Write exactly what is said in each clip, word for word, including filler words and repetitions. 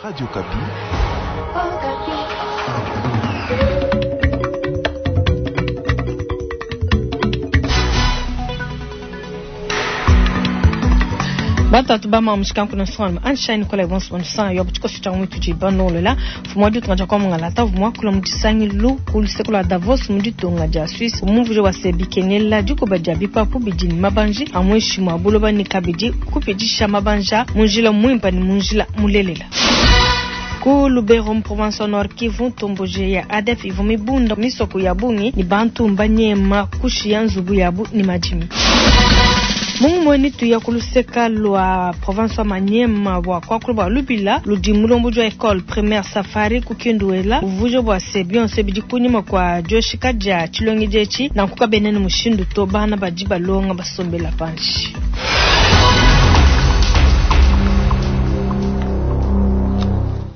Radio Okapi. Batatu ba mamushikanku na swana anshine kola bonso bonsa yo butiko cha mwitu ji banolola fumwa ditunga ja kwa mungalata vumwa kula mudisangilu ku luseko lwa Davos mu ditunga dia Suisse umuvuje wa se bikenela dikoba dia bipapu bidi ne mabanji amweshi mwa buloba ne kabidi kupidisha mabanja munjila mwimpa ne munjila mulelela. Ku Lubero mu province Nord Kivu ntomboje ya A D F ivua mibunda misoko ya bungi ni bantu mbanyema kushiya nzubu yabu ni madimi. Mungu mweni tuya kuluseka lwa province wa Maniema bwa kwakulu bwa lubila ludi mulombo jwa école primaire Safari kukinduela uvujo bwa se bionse bidi kunyima kwa joshika ja chilongi jechi na nkuka benene mushindu to bana badi balonga basombela panshi.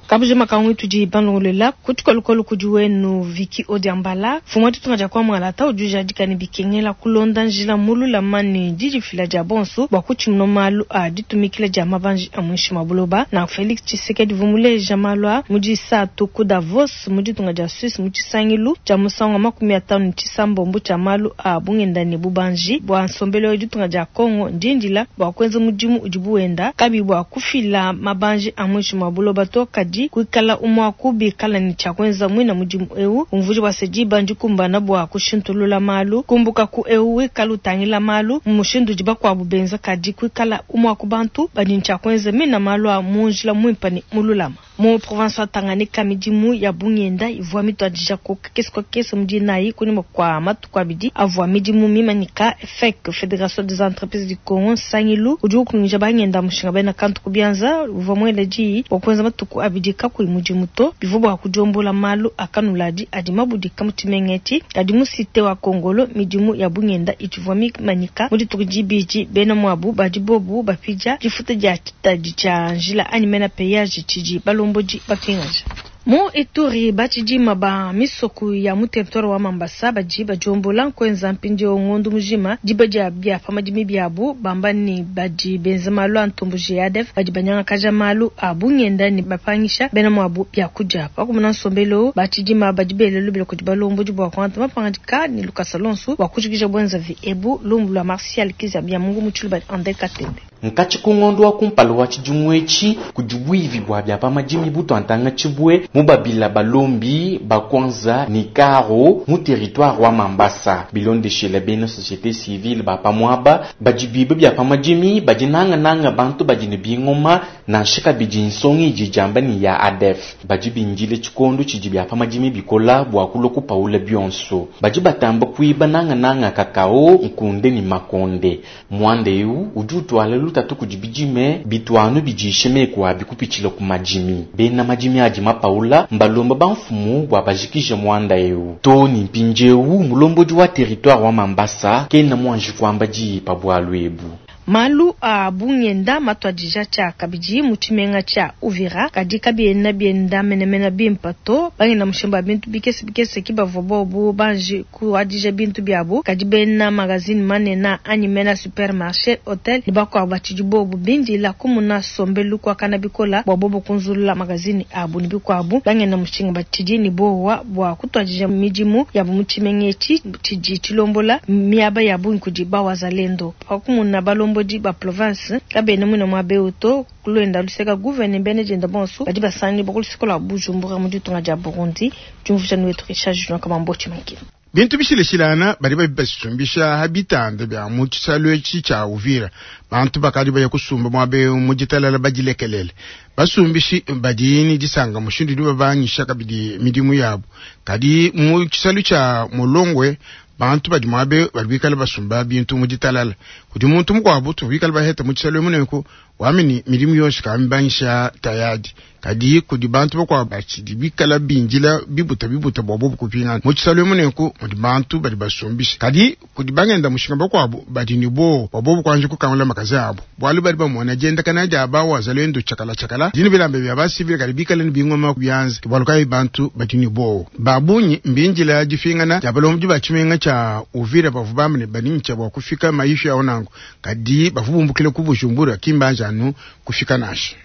Kabuje makangu tudi banlolela kutukolukolu kudi wenu Viki Odiambala fumwa tutunga ja kwa mwalata ujuja dikani bikengela kulonda njila mulula mani didifila dia bonso bwa kuchimno malu a ditumikila dia mabanji a mwishi mabuloba na Felix Tshisekedi vumuleja malwa mudi satu ku Davos mudi tunga dia Suisse mu tshisangilu tshia musangu wa makumi atanu tshisambombo tshia malu a bungenda ne bubanji bwa nsombelo ditunga dia Congo ndindila bwa kwenza mudimu udi buenda kabi bwa kufila mabanji a mwishi mabuloba to kadi kuikala umwaku bikala ni cha kwenza mwina mudimu eu umvuji wa sejiba ndikumbana bwa kushintulula malu kumbuka ku eu wikala utangila malu mushindu diba kwa bubenza kadi kuikala umwaku bantu badi ncha kwenza mina malu a munjila mwimpa ni mululama mu province wa Tanganyika midimu ya bungenda ivua mitwadija ku kesi kwa kesi mudi nayi kunyuma kwa matuku abidi avua midimu mimanika F E C Fédération des entreprises du Congo nsangilu udi ukungisha bangenda mushinga bena kantu kubianza uvua mwele diyi bua kuenza matuku abidi kakuyi mudimu to bivua bua kudiombola malu akanuladi adi mabudika mu tshimengeti kadi mu cité wa Kongolo midimu ya bungenda itshivua mimanyika mu dituku dibidi bena muabu badi bobu bapidia difuta dia tshitadi tshia njila anyi mena péage tshidi balombodi bapingaja. Mu Ituri batshidima ba misoko ya mu territoire wa Mambasa badi badiombola nkwenza mpindieu ngondu mujima diba dia bia pa madimi biabu bamba ni badi benza malu a ntomboji ya A D F badi banyangakaja malu a bungenda ne bapangisha bena muabu biakudia pakumuna nsombelo batshidima badi belelu bila kudi balombodi bua kuangata mapangadika ne lukasa lonso bua kujikija bwenzavi ebu lumbu lua Martial Kizia bia Mungu mu tshiluba Andre Katende. Nkatshi ku ngondo wa kumpala wa tshidimu etshi kudi bwivi bwa bia pa madimi butwantanga tshibue mubabila balombi bakwanza ni karo mu territoire wa Mambasa bilondeshela bena société civile ba pamwaba badi bibe bia pa madimi badi nangananga bantu badi ne bingoma nansha kabidi nsongi idi diamba ni ya A D F badi bindile tshikondo tshidi bia pa madimi bikola bua kulua kupaula bionso badi batamba kuiba nangananga kakao nkunde ni makonde mwanda eu udi utwala lutatu kudi bidime bitwanu bidishe meku abi kupitshila ku madimi bena madimi adi mapaula mbalomba bamfumu bua bajikije mwanda eu to ni mpindieu mulombodi wa territoire wa Mambasa kena mwanji kuamba diyi pa bwalu ebu. Malu a bungenda matwadija tshia kabidi mu tshimenga tshia Uvira kadi kabiena bienda menemene bimpa to bangenda mushimba bintu bikese bikese ki bavua bobu banji kuadija bintu biabu kadi bena magazine manene anyi mena supermarché hotel ne bakuabu batshidi bobu bindila kumuna sombelu kuakana bikola bua bobu kunzulula magazine abu ne bikuabu bangenda mushinga batshidi ne bowa bua kutwadija midimu yabu mu tshimenga etshi tshidi tshilombola miaba ya bungi kudi bawazalendo pakumuna balombodi ba province kabena mwina mwa beuto kulwenda luseka gouverneur bene jenda bonso badi basangi bakuluseko lwa Bujumbura mu ditunga dia Burundi diumvuja wetu Richard Junior Kamambochi Makina. Bintu bishileshilana badi babisumbisha ha bitanda bya mu tshisalu etshi tshia Uvira bantu bakadi baya kusumba muabe mu ditalala badilekelele basumbishi badi ni disanga mushindu udi babangisha kabidi midimu yabu kadi mu tshisalu tshia Mulongwe bantu badi muabe badi bikala basumba bintu mu ditalala kudi muntu mukuabu tubikala baheta mu tshisalu emuneku wamini midimu yonso kamibangisha tayadi kadi kudi bantu bakuabu batshidi bikala bindila bibuta bibuta bua bobu kupingana mu tshisalu emuneku mudi bantu badi basumbisha kadi kudi bangenda mushinga bakuabu badi ni bo bua bobu kuanji kukangula makazi abu bualu badi bamona diendakana dia bawazalendo tshiakala tshiakala dini bilamba bia basivile kadi bikala ni bingoma bianza bualu kayi bantu badi ni bo babunyi mbindila difingana dia balombi ba tshimenga tshia Uvira bavu bamene banintsha bua kufika maisha yawo nangu kadi bavu bumbukile ku Bujumbura kimbanja anu kufika nasha.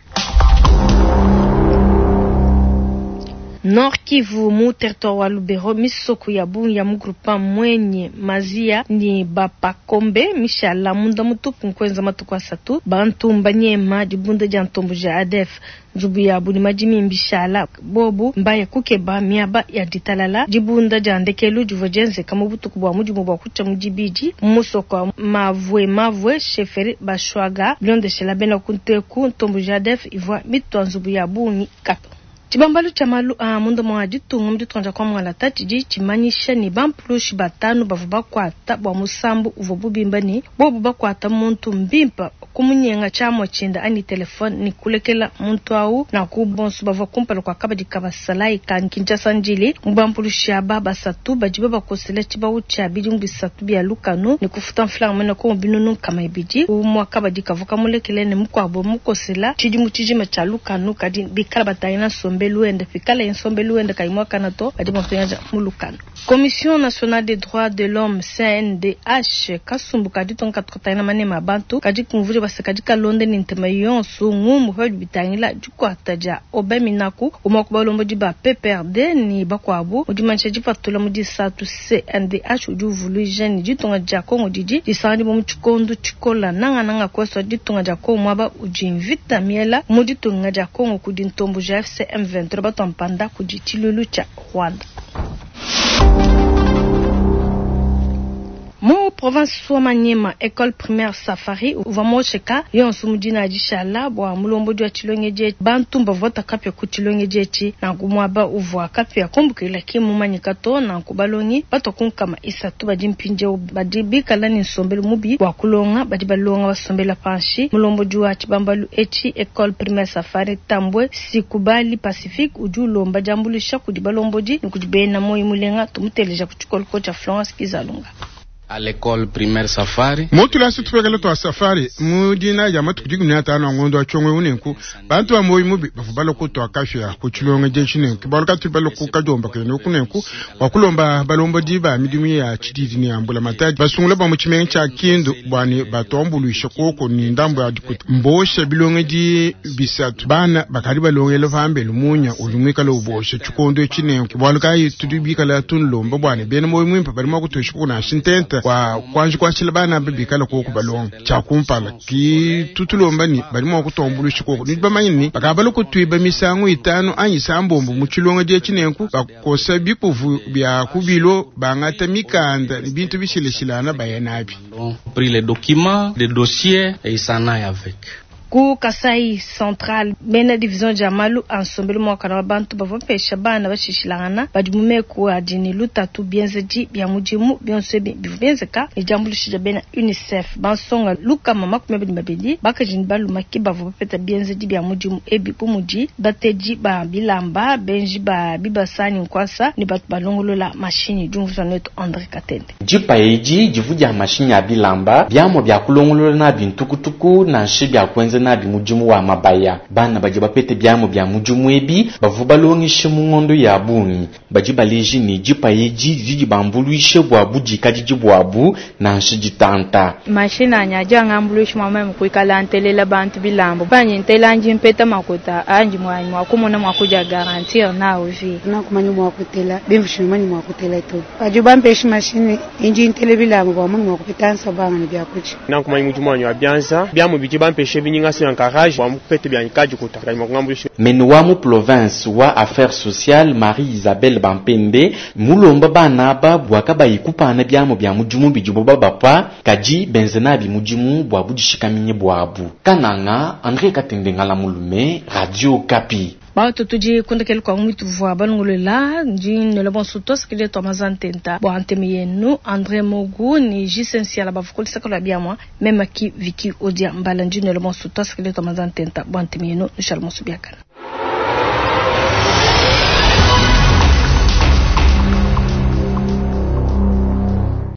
Nord Kivu mu territoire wa Lubero misoko ya bungi ya mu groupement Mwenye Mazia ni Bapakombe mishala munda mutupu nkwenza matuku asatu bantu mbanyema dibunda dia ntombo ja A D F nzubu yabu ni madimi mbishala bobu mbaya kukeba miaba ya ditalala dibunda dia ndekelu divua dienzeka mu butuku bua mudimu bua kutsha mu dibidi mu musoko wa Mavwe Mavwe chefferie Bashwaga bilondeshela bena kunteku ntombo ja A D F ivua mitua nzubu ya bungi kato. Tshibambalu tshia malu a munda mwa ditunga mu ditunga dia Kwamwalata tshidi tshimanyisha ne bampulushi batanu bavua bakuata bua musambu uvua bubimba ne bobu bakuata muntu mbimpa kumunyenga tshiamua tshienda anyi telefone ne kulekela muntu awu naku bonso bavua kumpala kua kabadi ka basalayi ka Kinshasa Ndjili. Mu bampulushi aba basatu badi babakosela tshibawu tshia bidimu bisatu bia lukanu ne kufuta mfulanga mwena kongo binunu nkama ibidi. Umua kabadi kavua kamulekele ne mukuabo mukosela tshidimu tshijima tshia lukanu kadi bikala batangila nsombelu wende pikala ye nsombelu wende kayi muakana to badi bamupingaja mu lukanu. Commission nationale des droits de l'homme C N D H kasumbu ka ditunga katukatangila manema a bantu kadi kumvuja basa kadi kalonda ne ntema yonso ngumu padi bitangila dikuata dia Aubin Minaku umwe ku balombodi ba P P R D ni bakuabu. Mu dimanyisha dipatula mu disatu C N D H udi uvuluija ne ditunga dia Kongo didi disanganyibua mu tshikondo tshikola nangananga kweswa ditunga dia Kongo mwaba udi mvita miela mu ditunga dia Kongo kudi ntombo ja A F C M vingt-trois batwampanda kudi tshilulu tshia Rwanda. Mu province wa Maniema école primaire Safari uvua mosheka yonso mu dina dishala bua mulombodi wa tshilongedi bantu bavua kapia ku tshilongedi etshi nanku muaba uvua kapia kumbukila ki mumanyika to nanku balongi batwa kunkama isatu badi mpindieu badi bikala ne nsombelu mubi bua kulonga badi balonga basombela panshi. Mulombodi wa tshibambalu etshi école primaire Safari Tambwe Sikubali Pacifique udi ulomba diambuluisha kudi balombodi ne kudi bena moyi mulenga tumuteleja ku tshikoloko tshia Florence Kizalunga. À l'école primaire Safari. Mutulasi tupekele twa Safari mu dina dia matuku dikumi na atanu a ngondo wa tshongwe unenku bantu ba moyi mubi bavua balokotwa kafya ku tshilonga dietshi nenku balu katu baloku kadiomba kene kunenku bua kulomba balombodi ba midimu ya tshididi ne ya mbula matadi basungula ba mu tshimenga tshia Kindu bua ne batuambuluisha koko ni ndambo ya dikuta mbosha bilongedi bisatu bana bakadi balongela pambelu munya udi muikale ubosha tshikondo etshi nenku bualu kayi tudi bikala tunlomba bua ne bena moyi muimpe badi mua kutosha kuna ntenta kwa kwanji kwashila bana bikala koko balonga tshia kumpala ki tutulomba ni badi mua kutuambuluisha koko nudi bamanye ni bakabala kutuiba misangu itanu anyi sambombo mu tshilonga dietshi nenku bakosa bikuvu bia kubilo bangata mikanda ni bintu bishileshilana baya nabi. Pris les documents, les dossiers et ils s'en aillent avec. Ku Kasai Central bena division dia malu a nsombelu muakana wa bantu bavua bapesha bana bashishilangana badi mu meku adi ne lutatu bienzedi bia mudimu bionso ebi bivua bienzeka ne diambuluisha dia bena UNICEF. Bansonga lukama makumi abidi babidi bakaji ne baluma ke bavua bapeta bienzedi bia mudimu ebi bu mudi batedi ba bilamba benji ba bibasa ne nkuasa ne batu balongolola mashinyi. Diumvuija netu André Katende. Dipa edi divu dia mashinyi a bilamba biamua bia kulongolola nabi ntukutuku nansha bia kuenza nabi mudimu wa mabaya. Bana badi bapete biamu bia mudimu ebi bavua balongeshe mu ngondo ya bungi badi baleji ne dipa edi didi bambuluishe bua budikadidi buabu nansha ditanta. Mashina anyi adi angambuluisha mua meme kuikala ntelela bantu bilamba panyi ntela andi mpeta makuta andi muanyi mua kumona mua kudia garantir na vie. Nakumanya mua kutela bimvushi manyi mua kutela to padi bampeshi mashini inji ntele bilamba bua munu mua kupeta nsabanga ne biakudia. Nakumanya mudimu wanyi wa bianza biamu bidi bampeshe binyinga se encourage bua mupete bia kadi kuta kadi mua kungambuluisha. Mene wa mu province wa affaires sociales Marie Isabelle Bampende mulomba bana aba bua kabayi kupana biamu bia mudimu bidibo babapa kadi benze nabi mudimu bua budishikaminyi buabu. Kananga, André Katende Ngala Mulume, Radio Okapi. Bato tudi kundekele kwa mwitu vua balongolola ndi nola bonso tosekele twa mazantenta bua nteme yenu André Mogu ni Jisensiala bavukulisaka lwa biamwa mema ki Viki Odia Mbala ndi nola bonso tosekele twa mazantenta bua nteme yenu nushala monso biakana.